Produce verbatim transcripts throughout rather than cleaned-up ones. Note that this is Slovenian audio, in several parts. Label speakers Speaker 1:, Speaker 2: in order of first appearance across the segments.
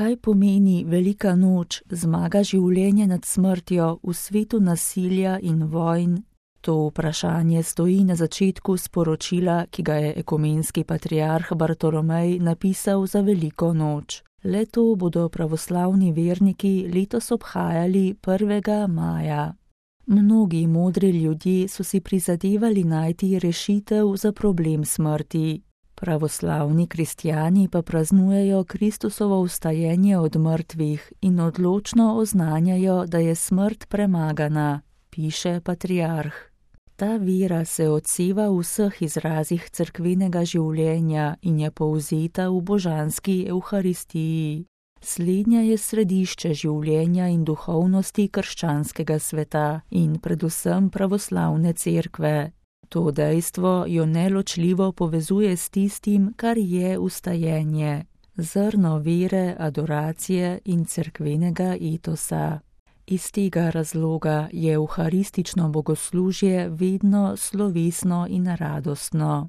Speaker 1: Kaj pomeni velika noč, zmaga življenje nad smrtjo v svetu nasilja in vojn? To vprašanje stoji na začetku sporočila, ki ga je ekumenski patriarh Bartolomej napisal za veliko noč. Le-to bodo pravoslavni verniki letos obhajali prvega maja. Mnogi modri ljudje so si prizadevali najti rešitev za problem smrti. Pravoslavni kristjani pa praznujejo Kristusovo vstajenje od mrtvih in odločno oznanjajo, da je smrt premagana, piše patriarh. Ta vera se odseva v vseh izrazih cerkvenega življenja in je povzeta v božanski evharistiji. Slednja je središče življenja in duhovnosti krščanskega sveta in predvsem pravoslavne cerkve. To dejstvo jo neločljivo povezuje s tistim, kar je vstajenje, zrno vere, adoracije in cerkvenega etosa. Iz tega razloga je evharistično bogoslužje vedno slovesno in radostno.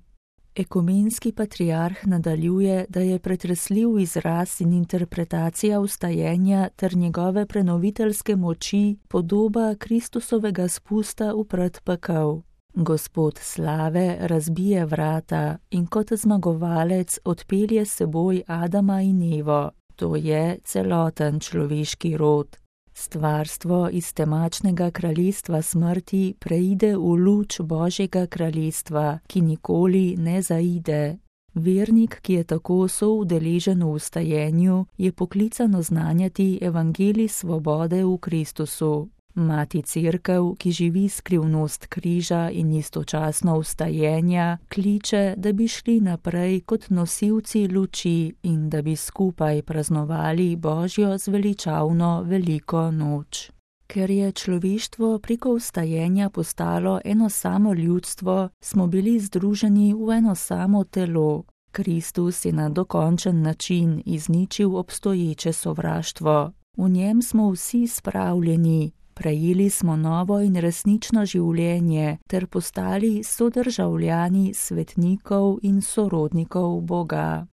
Speaker 1: Ekumenski patriarh nadaljuje, da je pretresljiv izraz in interpretacija vstajenja ter njegove prenoviteljske moči podoba Kristusovega spusta v predpekel. Gospod slave razbije vrata in kot zmagovalec odpelje s seboj Adama in Evo, to je celoten človeški rod. Stvarstvo iz temačnega kraljestva smrti preide v luč Božjega kraljestva, ki nikoli ne zaide. Vernik, ki je tako soudeležen v vstajenju, je poklican oznanjati evangelij svobode v Kristusu. Mati Cerkev, ki živi skrivnost križa in istočasno vstajenja, kliče, da bi šli naprej kot nosilci luči in da bi skupaj praznovali Božjo zveličavno veliko noč. Ker je človeštvo preko vstajenja postalo eno samo ljudstvo, smo bili združeni v eno samo telo. Kristus je na dokončen način izničil obstoječe sovraštvo. V njem smo vsi spravljeni. Prejeli smo novo in resnično življenje ter postali sodržavljani svetnikov in sorodnikov Boga.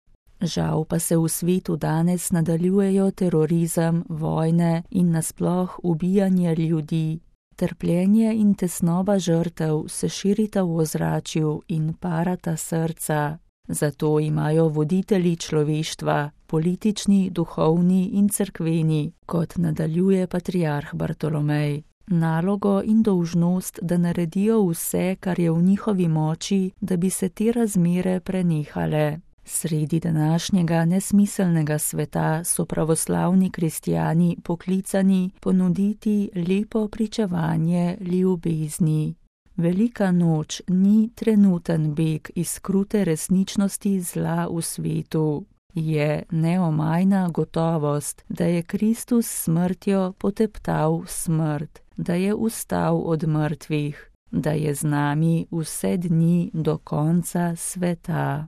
Speaker 1: Žal pa se v svetu danes nadaljujejo terorizem, vojne in nasploh ubijanje ljudi. Trpljenje in tesnoba žrtev se širita v ozračju in parata srca. Zato imajo voditelji človeštva, politični, duhovni in cerkveni, kot nadaljuje patriarh Bartolomej, nalogo in dolžnost, da naredijo vse, kar je v njihovi moči, da bi se te razmere prenehale. Sredi današnjega nesmiselnega sveta so pravoslavni kristjani poklicani ponuditi lepo pričevanje ljubezni. Velika noč ni trenuten beg iz krute resničnosti zla v svetu. Je neomajna gotovost, da je Kristus s smrtjo poteptal smrt, da je vstal od mrtvih, da je z nami vse dni do konca sveta.